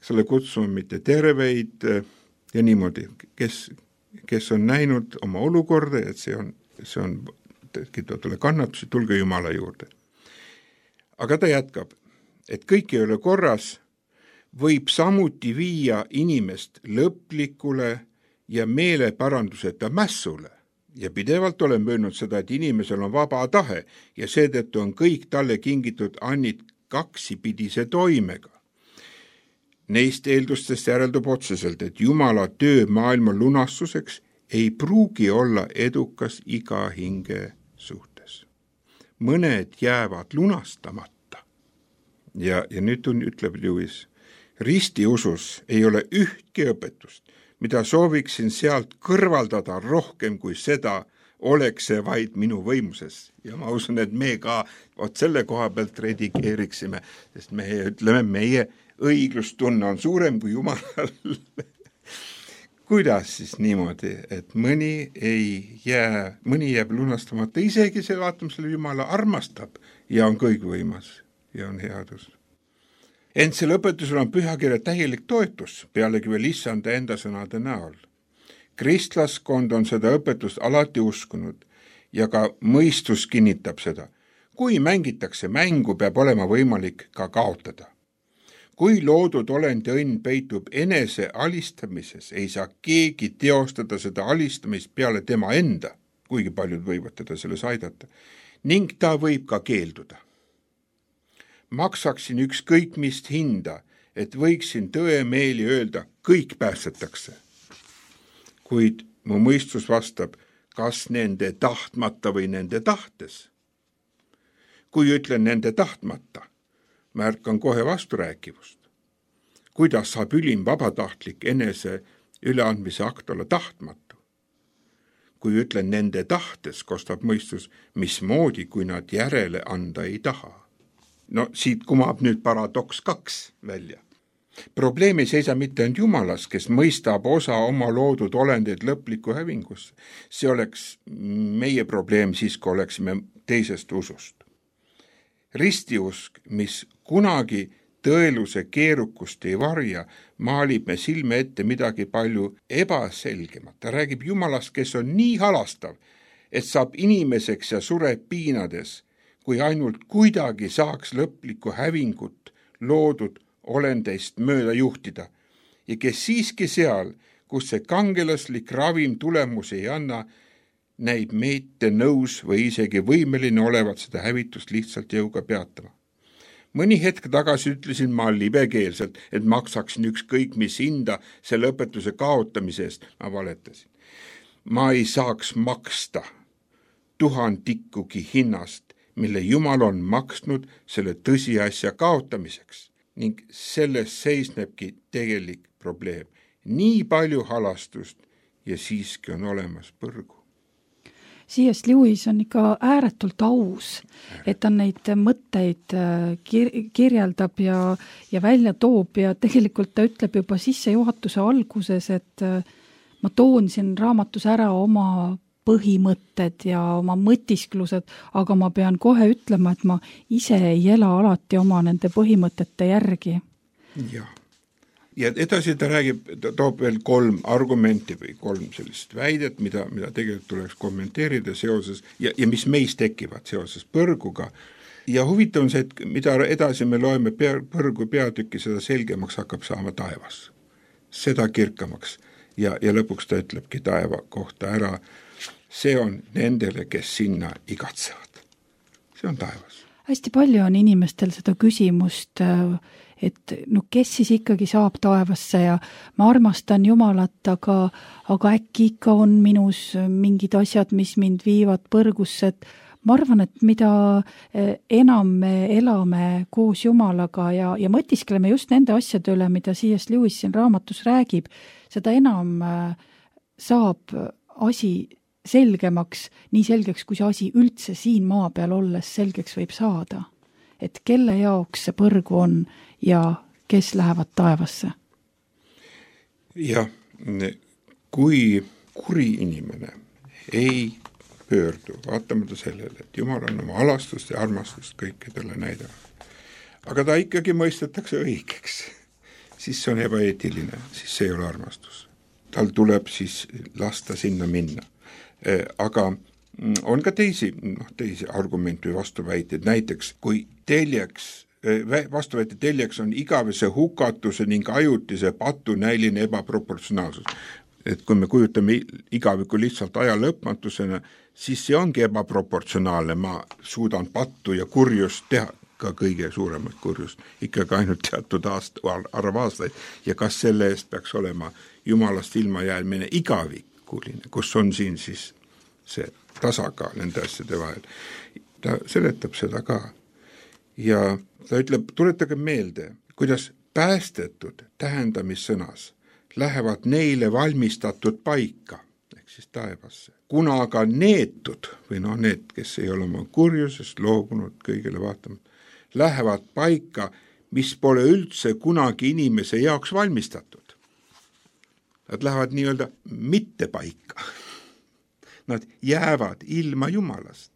selle kutsuma mitte terveid ja niimoodi, kes on näinud oma olukorda, et see on tule kannatusi, tulge Jumala juurde. Aga ta jätkab, et kõik ei ole korras, võib samuti viia inimest lõplikule ja meeleparanduseta mässule. Ja pidevalt olen möönud seda, et inimesel on vaba tahe ja seetõttu on kõik talle kingitud annid kaksipidise toimega. Neist eeldustest järeldub otseselt, et Jumala töö maailma lunastuseks ei pruugi olla edukas iga hinge suhtes. Mõned jäävad lunastamata. Ja nüüd ütleb Lewis, ristiusus ei ole ühtki õpetust, mida sooviksin sealt kõrvaldada rohkem kui seda, oleks see vaid minu võimuses. Ja ma usun, et me ka selle koha pealt redigeeriksime, sest me ütleme, meie õiglustunne on suurem kui Jumalal. Kuidas siis niimoodi, et mõni jääb lunastamata, isegi see vaatamisele Jumala armastab ja on kõigvõimas ja on headus. Ent selle õpetusel on pühakirja täielik toetus, pealegi veel issanda enda sõnade näol. Kristlaskond on seda õpetust alati uskunud ja ka mõistus kinnitab seda. Kui mängitakse mängu, peab olema võimalik ka kaotada. Kui loodud olend ja õnn peitub enese alistamises, ei saa keegi teostada seda alistamist peale tema enda, kuigi paljud võivad teda selles aidata, ning ta võib ka keelduda. Maksaksin ükskõik mist hinda, et võiksin tõemeeli öelda, kõik päästetakse. Kuid mu mõistus vastab, kas nende tahtmata või nende tahtes. Kui ütlen nende tahtmata, märkan kohe vasturääkivust. Kuidas saab ülim vabatahtlik enese üleandmise akt olla tahtmatu? Kui ütlen nende tahtes, kostab mõistus, mismoodi, kui nad järele anda ei taha. No siit kumab nüüd paradoks 2 välja. Probleem ei seisa mitte ainult Jumalas, kes mõistab osa oma loodud olendeid lõplikku hävingusse. See oleks meie probleem siis, kui oleksime teisest usust. Ristiusk, mis kunagi tõeluse keerukust ei varja, maalib me silme ette midagi palju ebaselgemat. Ta räägib Jumalast, kes on nii halastav, et saab inimeseks ja sureb piinades, kui ainult kuidagi saaks lõplikku hävingut loodud olendeist mööda juhtida ja kes siiski seal, kus see kangelaslik ravim tulemusi ei anna, näib meite nõus või isegi võimeline olevat seda hävitust lihtsalt jõuga peatama. Mõni hetk tagasi ütlesin ma libekeelselt, et maksaksin ükskõik mis hinda selle õpetuse kaotamise eest. Ma valetasin. Ma ei saaks maksta 1000 hinnast, mille Jumal on maksnud selle tõsiasja kaotamiseks ning selles seisnebki tegelik probleem. Nii palju halastust ja siiski on olemas põrgu. C.S. Lewis on ikka ääretult aus, et ta neid mõtteid kirjeldab ja välja toob ja tegelikult ta ütleb juba sissejuhatuse alguses, et ma toon siin raamatus ära oma põhimõtted ja oma mõtisklused, aga ma pean kohe ütlema, et ma ise ei ela alati oma nende põhimõtete järgi. Jah. Ja edasi ta räägib, ta toob veel 3 argumenti või 3 sellist väidet, mida tegelikult tuleks kommenteerida seoses ja mis meis tekivad seoses põrguga. Ja huvitav on see, et mida edasi me loeme põrgu peatükki, seda selgemaks hakkab saama taevas. Seda kirkamaks ja lõpuks ta ütlebki taeva kohta ära. See on nendele, kes sinna igatsevad. See on taevas. Hästi palju on inimestel seda küsimust, et kes siis ikkagi saab taevasse ja ma armastan Jumalat, aga äkki ikka on minus mingid asjad, mis mind viivad põrgusse, et ma arvan, et mida enam me elame koos Jumalaga ja mõtiskleme just nende asjade üle, mida C.S. Lewis siin raamatus räägib, seda enam saab asi selgemaks, nii selgeks, kui see asi üldse siin maa peal olles selgeks võib saada. Et kelle jaoks see põrgu on ja kes lähevad taevasse? Jah, kui kuri inimene ei pöördu, vaatamata sellele, et Jumal on oma halastust ja armastust kõikidele näidanud, aga ta ikkagi mõistetakse õigeks, siis see on ebaeetiline, siis see ei ole armastus. Tal tuleb siis lasta sinna minna. Aga on ka teisi argumente või vastuväiteid, näiteks kui vastuväite teljeks on igavese hukatuse ning ajutise patunäiline ebaproportsionaalsus. Et kui me kujutame igaviku lihtsalt aja lõpmatusena, siis see ongi ebaproportsionaalne, ma suudan pattu ja kurjust teha, ka kõige suuremat kurjust, ikkagi ainult teatud arv aastaid ja kas selle eest peaks olema Jumalast ilmajäämine igavikuline, kus on siin siis see tasakaal nende asjade vahel. Ta seletab seda ka ja ta ütleb, tuletage meelde, kuidas päästetud tähendamissõnas lähevad neile valmistatud paika, ehk siis taevasse. Kuna aga neetud, või need, kes ei ole oma kurjusest loobunud kõigele vaatamata, lähevad paika, mis pole üldse kunagi inimese jaoks valmistatud. Nad lähevad nii-öelda mitte paika. Nad jäävad ilma Jumalast.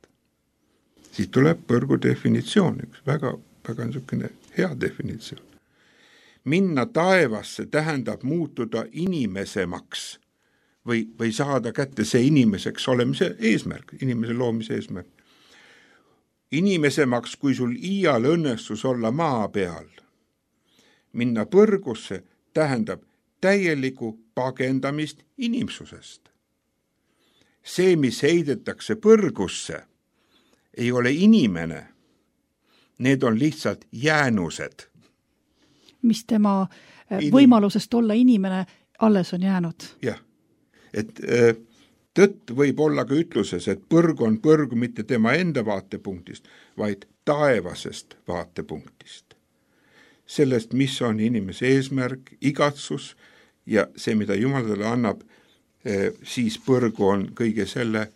Siis tuleb põrgu definitsioon, üks väga niisugune hea definitsioon. Minna taevasse tähendab muutuda inimesemaks või saada kätte see inimeseks olemise eesmärk, inimese loomise eesmärk. Inimesemaks, kui sul iial õnnestus olla maa peal. Minna põrgusse tähendab täieliku pagendamist inimsusest. See, mis heidetakse põrgusse, ei ole inimene. Need on lihtsalt jäänused. Mis tema võimalusest olla inimene alles on jäänud. Jah, et tõtt võib olla ka ütluses, et põrg on põrg mitte tema enda vaatepunktist, vaid taevasest vaatepunktist. Sellest, mis on inimese eesmärk, igatsus ja see, mida Jumal talle annab, siis põrgu on kõige selle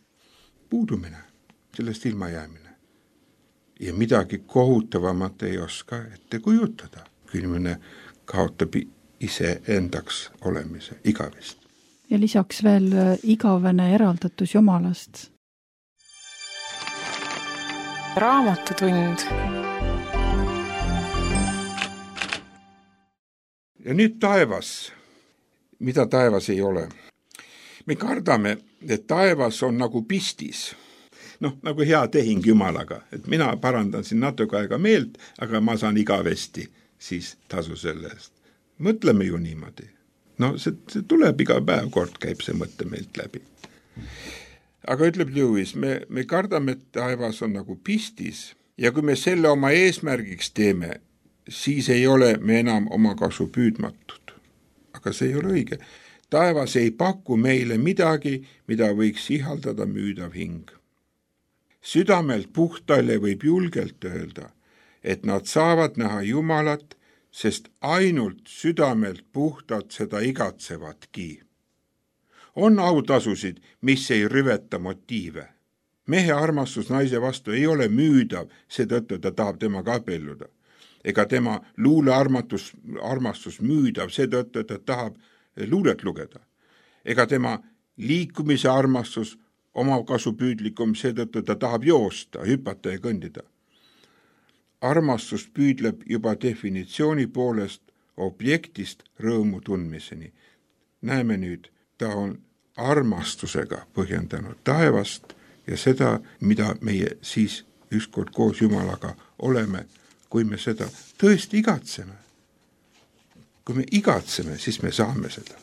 puudumine, sellest ilmajäämine. Ja midagi kohutavamat ei oska ette kujutada, kui inimene kaotab ise endaks olemise igavest. Ja lisaks veel igavene eraldatus Jumalast. Raamatutund. Ja nüüd taevas, mida taevas ei ole. Me kardame, et taevas on nagu pistis, nagu hea tehing Jumalaga, et mina parandan siin natuke aega meelt, aga ma saan igavesti siis tasu selle eest. Mõtleme ju niimoodi. No see tuleb iga päev, kord käib see mõte meilt läbi. Aga ütleb Lewis, me kardame, et taevas on nagu pistis ja kui me selle oma eesmärgiks teeme, siis ei ole me enam oma kasu püüdmatud. Aga see ei ole õige. Taevas ei paku meile midagi, mida võiks ihaldada müüdav hing. Südamelt puhtaile võib julgelt öelda, et nad saavad näha Jumalat, sest ainult südamelt puhtalt seda igatsevatki. On autasusid, mis ei rüveta motiive. Mehe armastus naise vastu ei ole müüdav, seetõttu ta tahab temaga abielluda. Ega tema luulearmastus müüdav, seetõttu ta tahab luulet lugeda. Ega tema liikumise armastus omakasupüüdlikum, seetõttu ta tahab joosta, hüpata ja kõndida. Armastus püüdleb juba definitsiooni poolest objektist rõõmu tundmiseni. Näeme nüüd, ta on armastusega põhjendanud taevast ja seda, mida meie siis ükskord koos Jumalaga oleme, kui me seda tõesti igatseme. Kui me igatseme, siis me saame seda.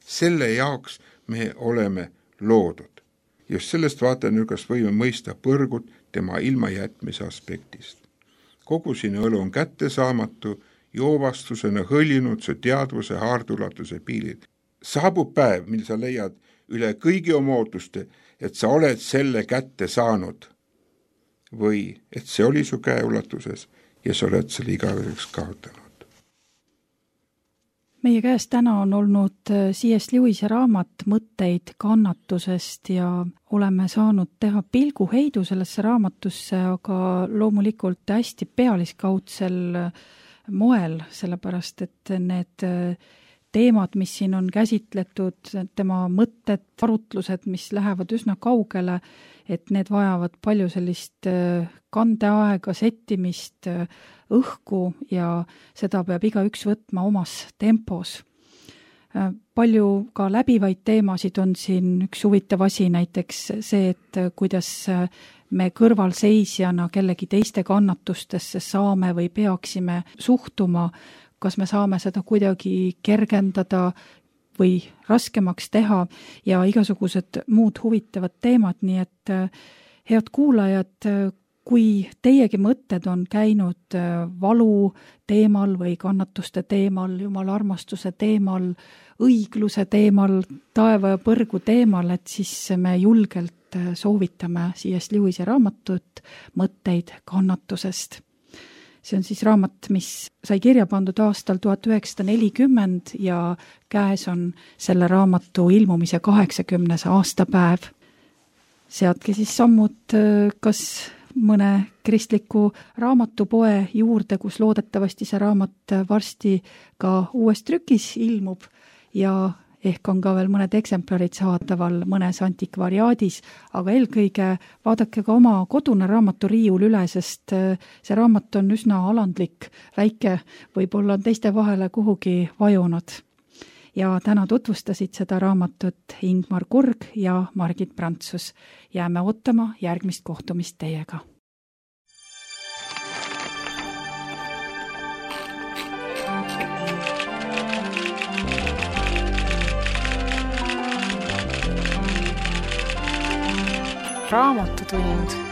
Selle jaoks me oleme loodud. Just sellest vaatenurgast võime mõista põrgut tema ilmajätmise aspektist. Kogu sinu elu on kättesaamatu, joovastusena hõljunud su teadvuse haardulatuse piilil. Saabub päev, mil sa leiad üle kõigi oma ootuste, et sa oled selle kätte saanud või et see oli su käeulatuses ja sa oled selle igaveseks kaotanud. Meie käes täna on olnud C.S. Lewise raamat Mõtteid kannatusest ja oleme saanud teha pilguheidu sellesse raamatusse, aga loomulikult hästi pealiskaudsel moel, sellepärast et need teemad, mis siin on käsitletud, tema mõtted, arutlused, mis lähevad üsna kaugele, et need vajavad palju sellist kandeaega, settimist, õhku ja seda peab igaüks võtma omas tempos. Palju ka läbivaid teemasid on siin, üks huvitav asi näiteks see, et kuidas me kõrvalseisjana kellegi teiste kannatustesse saame või peaksime suhtuma, kas me saame seda kuidagi kergendada või raskemaks teha ja igasugused muud huvitavad teemad, nii et head kuulajad, kui teiegi mõtted on käinud valu teemal või kannatuste teemal, Jumala armastuse teemal, õigluse teemal, taeva ja põrgu teemal, et siis me julgelt soovitame C.S. Lewise raamatut Mõtteid kannatusest. See on siis raamat, mis sai kirja pandud aastal 1940 ja käes on selle raamatu ilmumise 80. aastapäev. Seadke siis sammud kas mõne kristliku raamatupoe juurde, kus loodetavasti see raamat varsti ka uues trükis ilmub ja ehk on ka veel mõned eksemplarid saadaval mõnes antikvariaadis, aga eelkõige vaadake ka oma kodune raamaturiiul üle, sest see raamat on üsna alandlik, väike, võib-olla on teiste vahele kuhugi vajunud. Ja täna tutvustasid seda raamatut Ingmar Kurg ja Margit Prantsus. Jääme ootama järgmist kohtumist teiega. Raamatutund.